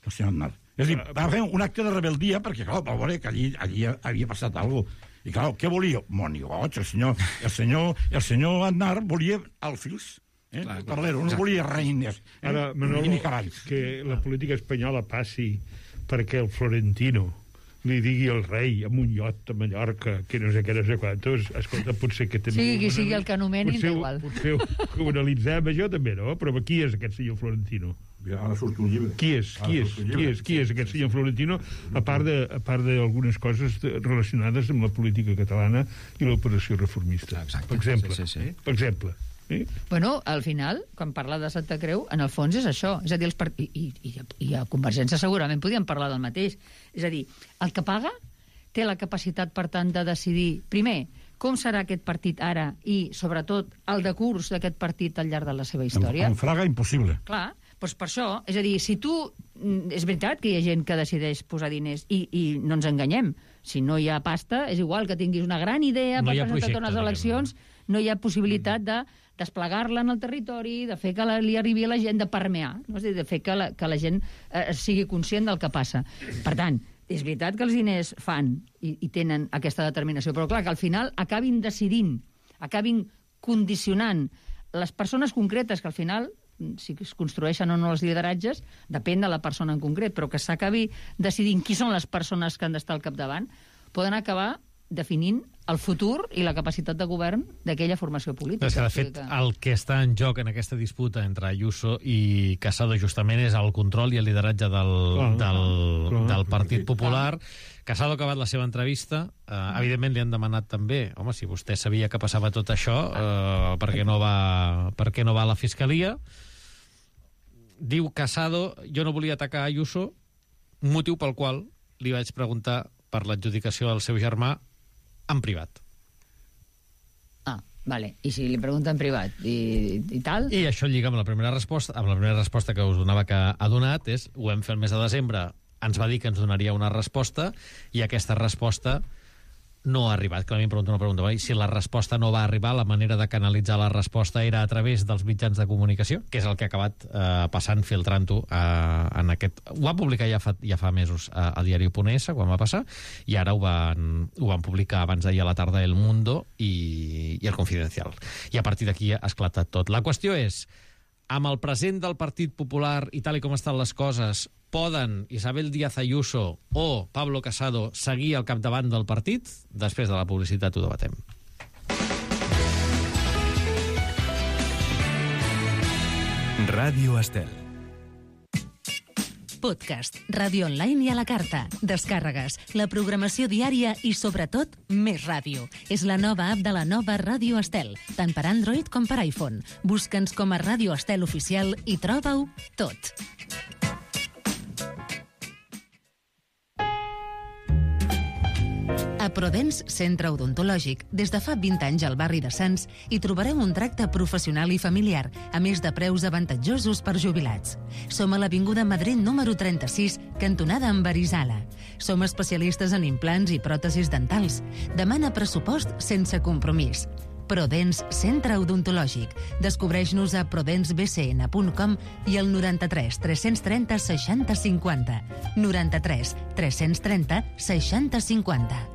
el senyor Aznar. És a dir, va fer un acte de rebeldia perquè, clar, va veure que allí havia passat alguna cosa. I, clar, què volia? Monigoig, el senyor Aznar volia alfils. Perdero, no volia reines ara, Manolo, ni cavalls. Que la política espanyola passi perquè el Florentino li digui al rei amb un iot a Mallorca que no sé què, no sé quantos, escolta, potser que també... Sí, qui sigui el que anomenin, igual. Potser ho analitzem, això també, no? Però qui és aquest senyor Florentino? Ara surt un llibre. Qui és aquest senyor Florentino, a part d'algunes coses relacionades amb la política catalana i l'operació reformista? Exacte. Per exemple. Sí. Per exemple. Bueno, al final, quan parla de Santa Creu, en el fons és això. És a dir, i a Convergència segurament podíem parlar del mateix. És a dir, el que paga té la capacitat, per tant, de decidir, primer, com serà aquest partit ara i, sobretot, el decurs d'aquest partit al llarg de la seva història. En Fraga, impossible. Clar, doncs per això, és a dir, si tu... És veritat que hi ha gent que decideix posar diners i no ens enganyem. Si no hi ha pasta, és igual que tinguis una gran idea per presentar unes eleccions, no hi ha possibilitat de desplegar-la en el territori, de fer que li arribi a la gent, de permear, no? És a dir, de fer que la gent sigui conscient del que passa. Per tant, és veritat que els diners fan i tenen aquesta determinació, però clar, que al final acabin decidint, acabin condicionant les persones concretes, que al final, si es construeixen o no els lideratges, depèn de la persona en concret, però que s'acabi decidint qui són les persones que han d'estar al capdavant, poden acabar definint el futur i la capacitat de govern d'aquella formació política. És que, de fet, el que està en joc en aquesta disputa entre Ayuso i Casado justament és el control i el lideratge del Partit Popular. Casado ha acabat la seva entrevista. Evidentment li han demanat també, home, si vostè sabia que passava tot això, per què no va a la Fiscalia? Diu Casado, jo no volia atacar Ayuso, motiu pel qual li vaig preguntar per l'adjudicació del seu germà en privat. Vale. I si li pregunta en privat i tal? I això lliga amb la primera resposta que us donava que ha donat, és ho hem fet el mes de desembre, ens va dir que ens donaria una resposta i aquesta resposta no ha arribat. Que a mi em pregunta una pregunta, si la resposta no va arribar, la manera de canalitzar la resposta era a través dels mitjans de comunicació, que és el que ha acabat passant, filtrant-ho en aquest... Ho va publicar ja fa mesos a Diario.es, quan va passar, i ara ho van publicar abans d'ahir a la tarda El Mundo i El Confidencial. I a partir d'aquí ha esclatat tot. La qüestió és, amb el present del Partit Popular i tal i com estan les coses, poden Isabel Díaz Ayuso o Pablo Casado seguir al capdavant del partit? Després de la publicitat ho debatem. Ràdio Estel. Podcast, ràdio online i a la carta, descàrregues, la programació diària i, sobretot, més ràdio. És la nova app de la nova Ràdio Estel, tant per Android com per iPhone. Busca'ns com a Ràdio Estel Oficial i troba-ho tot. A Prodens Centre Odontològic, des de fa 20 anys al barri de Sants, hi trobareu un tracte professional i familiar, a més de preus avantatjosos per jubilats. Som a l'Avinguda Madrid número 36, cantonada amb Arizala. Som especialistes en implants i pròtesis dentals. Demana pressupost sense compromís. Prodens Centre Odontològic. Descobreix-nos a prodensbcn.com i al 93 330 60 50. 93 330 60 50.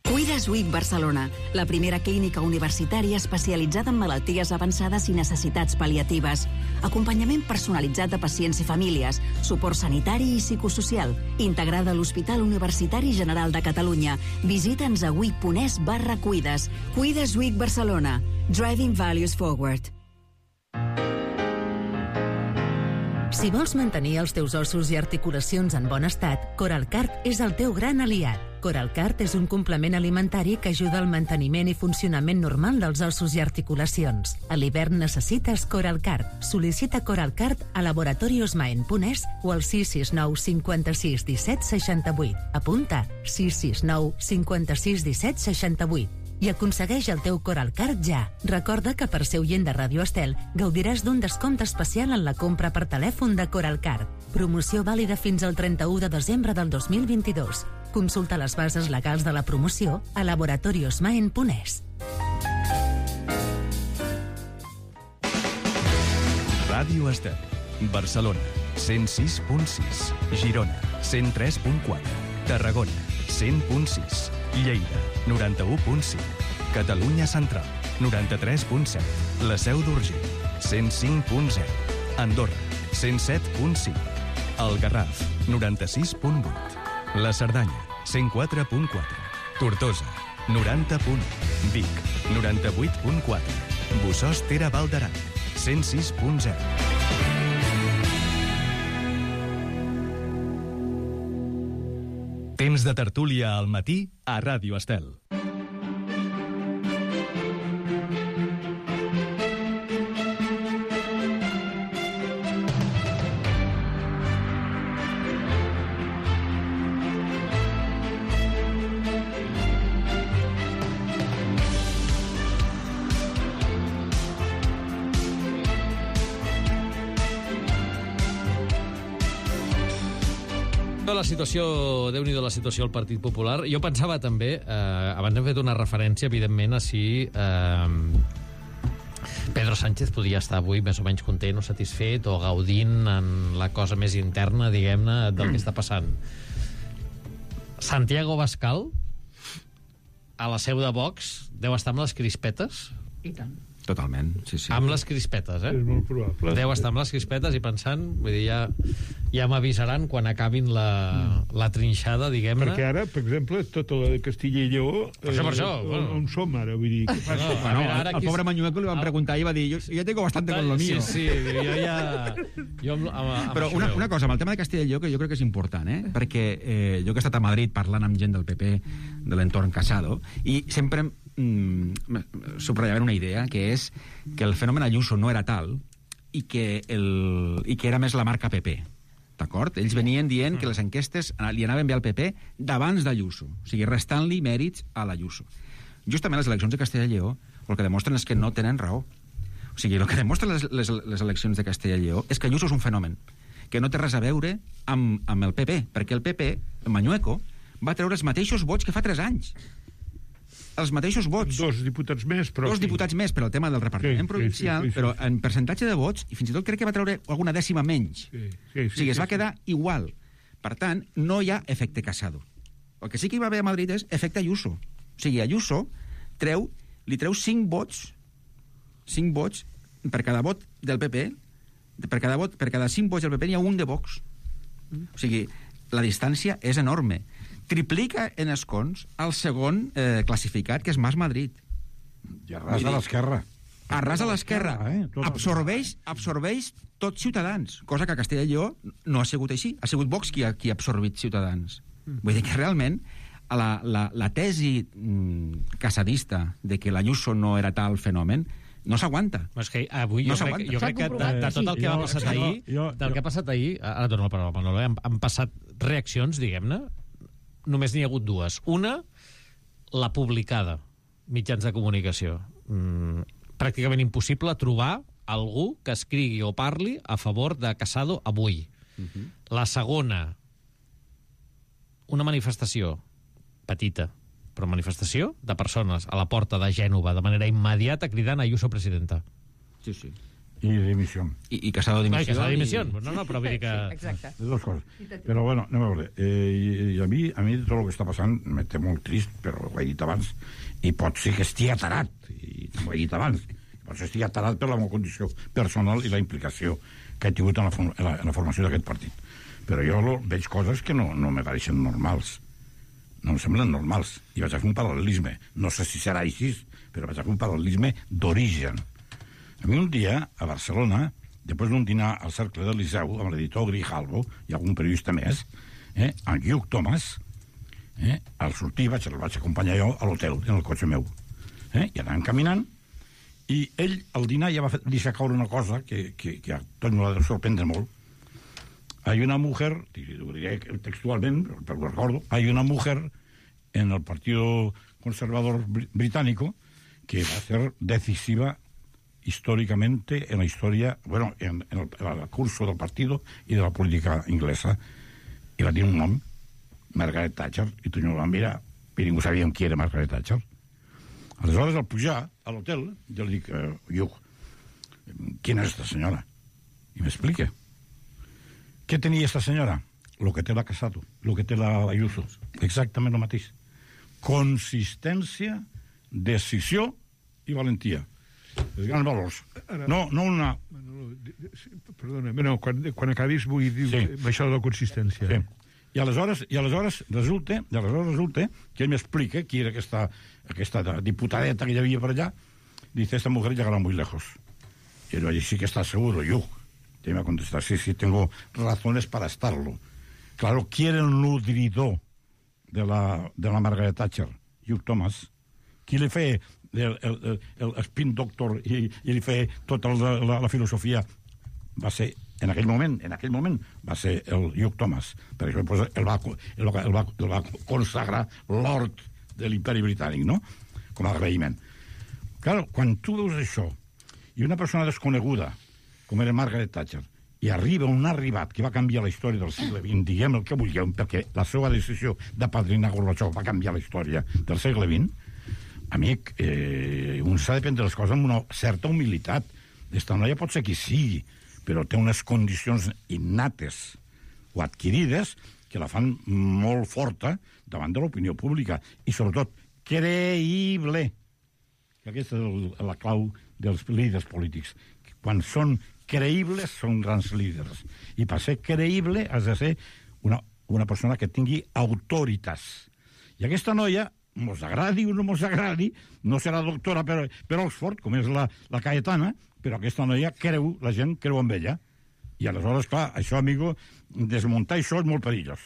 Cuides WIC Barcelona, la primera clínica universitària especialitzada en malalties avançades i necessitats pal·liatives. Acompanyament personalitzat de pacients i famílies, suport sanitari i psicosocial, integrada a l'Hospital Universitari General de Catalunya. Visita'ns a wic.es/cuides. Cuides WIC Barcelona. Driving Values Forward. Si vols mantenir els teus ossos i articulacions en bon estat, Coralcart és el teu gran aliat. Coralcart és un complement alimentari que ajuda al manteniment i funcionament normal dels ossos i articulacions. A l'hivern necessites Coralcart. Sol·licita Coralcart a laboratoriosmaen.es o al 669 56 17 68. Apunta 669 56 17 68. I aconsegueix el teu Coralcart ja. Recorda que per ser oient de Ràdio Estel gaudiràs d'un descompte especial en la compra per telèfon de Coralcart. Promoció vàlida fins al 31 de desembre del 2022. Consulta les bases legals de la promoció a laboratoriosmaen.es. Ràdio Estel. Barcelona, 106.6. Girona, 103.4. Tarragona, 100.6. Lleida, 91.5. Catalunya Central, 93.7. La Seu d'Urgell, 105.0. Andorra, 107.5. El Garraf, 96.8. La Cerdanya, 104.4. Tortosa, 90.1. Vic, 98.4. Bossòst Tere Val d'Aran, 106.0. Temps de tertúlia al matí a Ràdio Estel. La situació, Déu-n'hi-do la situació al Partit Popular. Jo pensava també, abans hem fet una referència, evidentment, a si Pedro Sánchez podia estar avui més o menys content o satisfet o gaudint en la cosa més interna, diguem-ne, del que està passant. Santiago Abascal, a la seu de Vox, deu estar amb les crispetes? I tant. Totalment, sí, sí. Amb les crispetes, És molt probable. Deu estar amb les crispetes i pensant, vull dir, ja m'avisaran quan acabin la trinxada, diguem-ne. Perquè ara, per exemple, tota la de Castilla i Lleó... Per això, on som ara? Vull dir, què passa? El pobre Mañueco li van preguntar i va dir jo ja tengo bastante con lo mío. Sí, jo ja... Però una cosa, amb el tema de Castilla i Lleó, que jo crec que és important, perquè jo que he estat a Madrid parlant amb gent del PP, de l'entorn Casado, i sempre subratllaven una idea, que és que el fenomen Ayuso no era tal i que era més la marca PP. D'acord? Ells venien dient que les enquestes li anaven bé al PP d'abans d'Ayuso, o sigui, restant-li mèrits a l'Ayuso. Justament les eleccions de Castella i Lleó el que demostren és que no tenen raó. O sigui, el que demostren les eleccions de Castella i Lleó és que Ayuso és un fenomen que no té res a veure amb el PP, perquè el PP, el Mañueco, va treure els mateixos vots que fa 3 anys. Els mateixos vots. 2 diputats més, però... 2 diputats més per al tema del repartiment provincial, però en percentatge de vots, i fins i tot crec que va treure alguna dècima menys. O sigui, es va quedar igual. Per tant, no hi ha efecte Casado. El que sí que hi va haver a Madrid és efecte Ayuso. O sigui, Ayuso li treu 5 vots per cada vot del PP, per cada 5 vots del PP n'hi ha un de Vox. O sigui, la distància és enorme. Triplica en escons el segon classificat, que és Mas Madrid. I arrasa l'esquerra. Arrasa l'esquerra. Absorbeix tot Ciutadans, cosa que a Castella i Lleó no ha sigut així. Ha sigut Vox qui ha absorbit Ciutadans. Vull dir que realment la tesi casadista de que l'Ayuso no era tal fenomen no s'aguanta. És que avui jo crec que de tot el que va passar ahir, del que ha passat ahir, ara torno la paraula, Manolo, han passat reaccions, diguem-ne, només n'hi ha hagut 2. Una, la publicada, mitjans de comunicació. Pràcticament impossible trobar algú que escrigui o parli a favor de Casado avui. La segona, una manifestació petita, però manifestació de persones a la porta de Gènova de manera immediata cridant Ayuso presidenta. Sí, sí. I dimissió. I Casado dimissió. Casado dimissió. No, però vull dir que... Exacte. Les dues coses. Però, bueno, anem a veure. I a mi tot el que està passant me té molt trist, però ho he dit abans, i pot ser que estigui atarat, i ho he dit abans, pot ser que estigui atarat per la meva condició personal i la implicació que he tingut en la formació d'aquest partit. Però jo veig coses que no me pareixen normals. No em semblen normals. I vaig a fer un paral·lelisme. No sé si serà així, però vaig a fer un paral·lelisme d'origen. A mi un dia, a Barcelona, després d'un dinar al Cercle del Liceu, amb l'editor Grijalvo i algun periodista més, en Hugh Thomas, al sortir el vaig acompanyar jo a l'hotel, en el cotxe meu. I anàvem caminant, i ell, al dinar, ja va deixar caure una cosa que a tot no l'ha de sorprendre molt. Hay una mujer, lo diré textualmente, pero lo recuerdo, hay una mujer en el Partido Conservador Británico que va a ser decisiva históricamente en la historia, bueno, en el curso del partido y de la política inglesa. I va dir un nom, Margaret Thatcher, i tu no van mirar, i ningú sabia qui era Margaret Thatcher. Aleshores, al pujar a l'hotel, jo li dic, Hugh, ¿quién es esta señora? I m'explica. ¿Qué tenía esta señora? Lo que té la Casado, lo que té la Ayuso. Exactament el mateix. Consistència, decisió i valentia. Els grans valors. No una... Perdona, no, quan acabis vull dir això de la consistència. Sí. I aleshores resulta que ell m'explica qui era aquesta diputadeta que hi havia per allà. Dice, esta mujer llegará muy lejos. Y yo, sí que está seguro, Hugh. Y me va a contestar, sí, tengo razones para estarlo. Claro, ¿quién era el nutridor de la Margaret Thatcher? Hugh Thomas. Qui li feia el spin doctor i li feia tota la filosofia? Va ser, en aquell moment, va ser el Hugh Thomas. Per això el va consagrar Lord de l'Imperi Britànic, no? Com a agraïment. Claro, quan tu veus això, i una persona desconeguda, com era Margaret Thatcher, i arriba un arribat que va canviar la història del segle XX, diguem el que vulgueu, perquè la seva decisió de padrinar Gorbachev va canviar la història del segle XX, amic, un s'ha de prendre les coses amb una certa humilitat. Esta noia pot ser qui sigui, però té unes condicions innates o adquirides que la fan molt forta davant de l'opinió pública i, sobretot, creïble. Que aquesta és la clau dels líders polítics. Quan són creïbles, són grans líders. I per ser creïble has de ser una persona que tingui autoritats. I aquesta noia, mos agradi o no mos agradi, no serà doctora per Oxford, com és la Cayetana, però aquesta noia la gent creu en ella. I aleshores, clar, això, amigo, desmuntar això és molt perillós.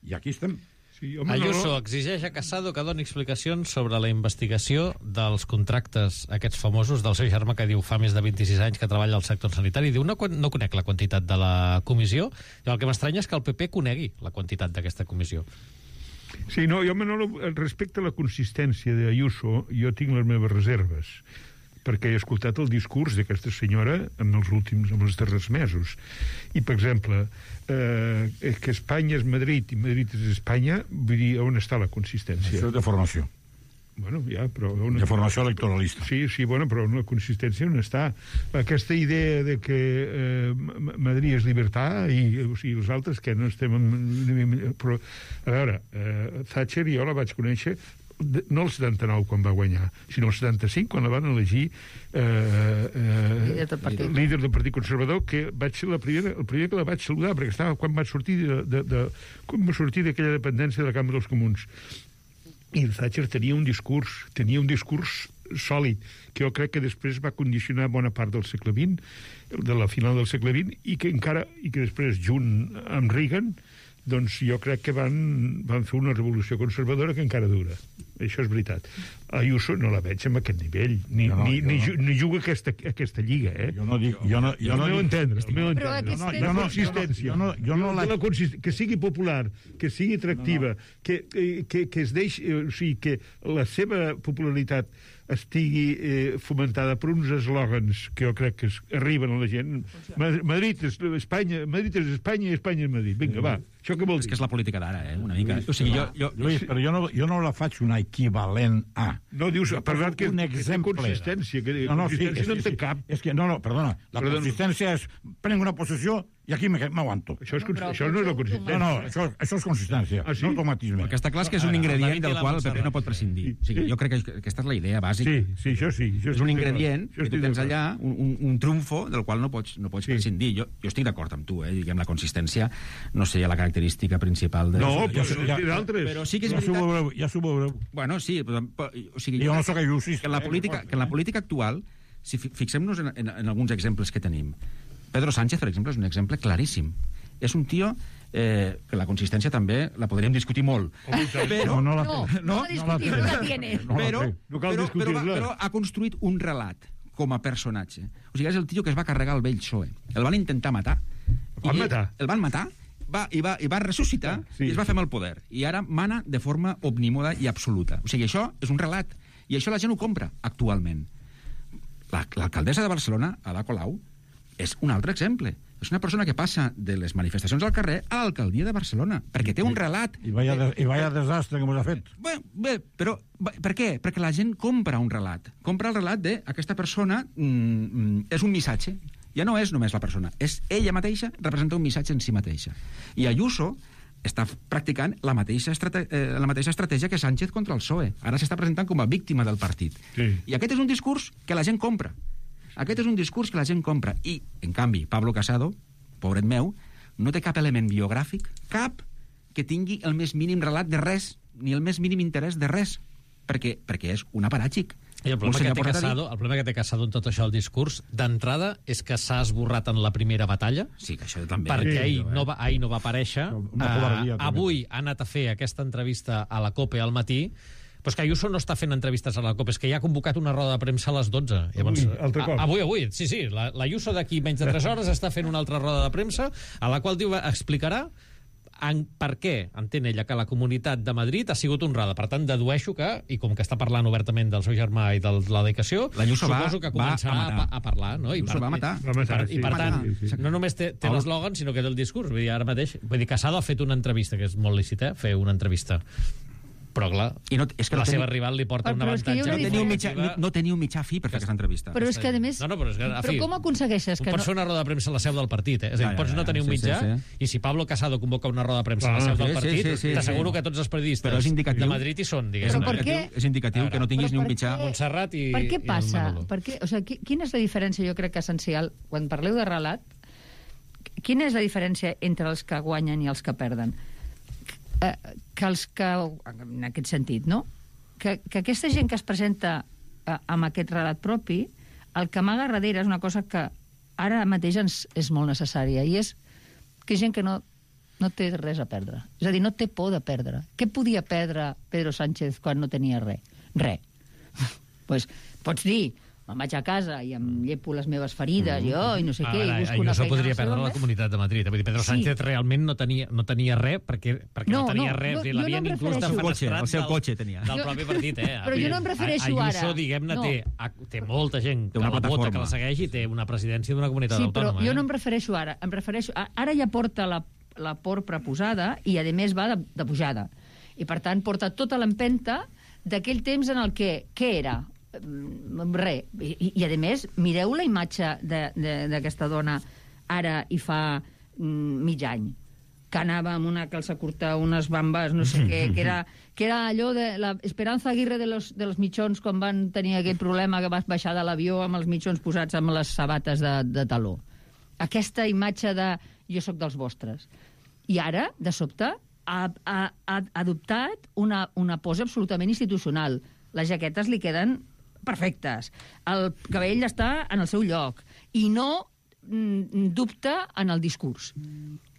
I aquí estem. Sí, Ayuso exigeix a Casado que doni explicacions sobre la investigació dels contractes aquests famosos del seu germà que diu fa més de 26 anys que treballa al sector sanitari. Diu, no conec la quantitat de la comissió. I el que m'estranya és que el PP conegui la quantitat d'aquesta comissió. Sí, no, jo, Manolo, respecte a la consistència d'Ayuso, jo tinc les meves reserves, perquè he escoltat el discurs d'aquesta senyora en els darrers mesos. I, per exemple, que Espanya és Madrid i Madrid és Espanya, vull dir, on està la consistència? Això és de formació. Bueno, ja, però... De formació electoralista. Sí, bueno, però la consistència on està? Aquesta idea de que Madrid és llibertat i els altres que no estem... Però, a veure, Thatcher jo la vaig conèixer no el 79 quan va guanyar, sinó el 75 quan la van elegir líder del Partit Conservador, que vaig ser el primer que la vaig saludar, perquè estava quan va sortir d'aquella dependència de la Cambra dels Comuns. I Thatcher tenia un discurs sòlid, que jo crec que després va condicionar bona part del segle XX, de la final del segle XX, i que després, junt amb Reagan, doncs jo crec que van fer una revolució conservadora que encara dura. Això és veritat. Ayuso no la veig amb aquest nivell, ni juga aquesta lliga, eh? Jo no dic... El meu entendre. La consistència. Que sigui popular, que sigui atractiva, que es deixi... O sigui, que la seva popularitat estigui fomentada per uns eslògans que jo crec que arriben a la gent. Madrid és Espanya i Espanya és Madrid. Vinga, va. Això què vol dir? És que és la política d'ara, una mica. O sigui, Lluís, però jo no la faig una equivalent a... No, dius, parlat que un exemple. Consistència, que no en té cap. És que, perdona, la consistència és prenc una posició i aquí m'aguanto. Això no és la consistència. No, això és consistència, no automatisme. Perquè està clar que és un ingredient del qual el PP no pot prescindir. O sigui, jo crec que aquesta és la idea bàsica. Sí, això sí. És un ingredient que tu tens allà, un trumfo del qual no pots prescindir. Jo estic d'acord amb tu, diguem, la consistència no seria la característica principal de... No, però d'altres. Però sí que és veritat... Ja s'ho veureu. Bueno, sí, o sigui... Jo no soc ayusista. Que en la política actual, si fixem-nos en alguns exemples que tenim, Pedro Sánchez, per exemple, és un exemple claríssim. És un tio que la consistència també la podríem discutir molt. Però ha construït un relat com a personatge. O sigui, és el tio que es va carregar el vell PSOE. El van intentar matar. El van matar i va ressuscitar i es va fer amb el poder. I ara mana de forma omnímoda i absoluta. O sigui, això és un relat. I això la gent ho compra actualment. L'alcaldessa de Barcelona, Ada Colau, és un altre exemple. És una persona que passa de les manifestacions al carrer a l'alcaldia de Barcelona, perquè té un relat... I vaya desastre que m'ha fet. Bé, però per què? Perquè la gent compra un relat. Compra el relat d'aquesta persona és un missatge. Ja no és només la persona. És ella mateixa, representa un missatge en si mateixa. I Ayuso està practicant la mateixa estratègia que Sánchez contra el PSOE. Ara s'està presentant com a víctima del partit. Sí. I aquest és un discurs que la gent compra. Aquest és un discurs que la gent compra. I, en canvi, Pablo Casado, pobret meu, no té cap element biogràfic, cap que tingui el més mínim relat de res, ni el més mínim interès de res, perquè és un aparàtxic. I el problema que té Casado en tot això, el discurs, d'entrada, és que s'ha esborrat en la primera batalla. Sí, que això també. Perquè ahir no va aparèixer. Avui ha anat a fer aquesta entrevista a la COPE al matí, però és que Ayuso no està fent entrevistes a la COPE, és que ja ha convocat una roda de premsa a les 12. Llavors, altre cop. Avui, sí. L'Ayuso d'aquí menys de 3 hores està fent una altra roda de premsa a la qual explicarà per què entén ella que la Comunitat de Madrid ha sigut honrada. Per tant, dedueixo que, i com que està parlant obertament del seu germà i de la dedicació, suposo que començarà a parlar, no? I va matar. I per tant, no només té l'eslògan, sinó que té el discurs. Vull dir, ara mateix, Casado ha fet una entrevista, que és molt lícit, fer una entrevista. Però, clar, la seva rival li porta un avantatge. No tenia un mitjà fi per fer aquesta entrevista. Però és que, a més... Però com aconsegueixes que no... Pots fer una roda de premsa a la seu del partit, És a dir, pots no tenir un mitjà, i si Pablo Casado convoca una roda de premsa a la seu del partit, t'asseguro que tots els periodistes de Madrid hi són, diguéssim. És indicatiu que no tinguis ni un mitjà. Montserrat i... Per què passa? Quina és la diferència, jo crec que essencial, quan parleu de relat, quina és la diferència entre els que guanyen i els que perden? Que els que, en aquest sentit, no? Que aquesta gent que es presenta amb aquest relat propi, el que amaga darrere és una cosa que ara mateix és molt necessària, i és que gent que no té res a perdre. És a dir, no té por de perdre. Què podia perdre Pedro Sánchez quan no tenia res? Res. Pues, pots dir, me'n vaig a casa i em llepo les meves ferides, jo, i no sé què, i busco una feina... podria perdre la Comunitat de Madrid. Pedro Sánchez realment no tenia res, perquè no tenia res. L'havien inclús defenestrat el seu cotxe tenia. Del propi partit, Però jo no em refereixo ara. Ayuso, diguem-ne, té molta gent que la vota, que la segueix, i té una presidència d'una comunitat autònoma. Sí, però jo no em refereixo ara. Ara ja porta la por preposada i, a més, va de pujada. I, per tant, porta tota l'empenta d'aquell temps en el que... Què era? Res. I a més, mireu la imatge d'aquesta dona ara i fa mig any, que anava amb una calça curta, unes bambes, no sé què, que era allò de la Esperanza Aguirre de los mitjons, quan van tenir aquell problema que vas baixar de l'avió amb els mitjons posats amb les sabates de taló. Aquesta imatge de jo sóc dels vostres. I ara, de sobte, ha adoptat una pose absolutament institucional. Les jaquetes li queden perfectes. El cabell està en el seu lloc. I no dubta en el discurs.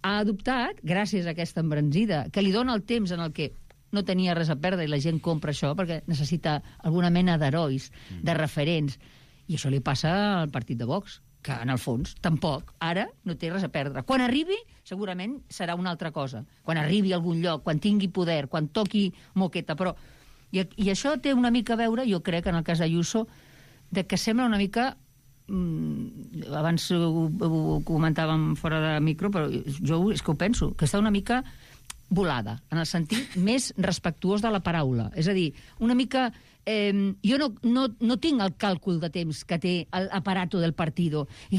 Ha adoptat, gràcies a aquesta embranzida, que li dona el temps en el que no tenia res a perdre i la gent compra això perquè necessita alguna mena d'herois, de referents. I això li passa al partit de Vox, que en el fons tampoc ara no té res a perdre. Quan arribi, segurament serà una altra cosa. Quan arribi a algun lloc, quan tingui poder, quan toqui moqueta, però... I això té una mica a veure, jo crec, en el cas d'Ayuso, de que sembla una mica... abans ho comentàvem fora de micro, però jo és que ho penso, que està una mica volada, en el sentit més respectuós de la paraula. És a dir, una mica... jo no tinc el càlcul de temps que té l'aparato del partido. I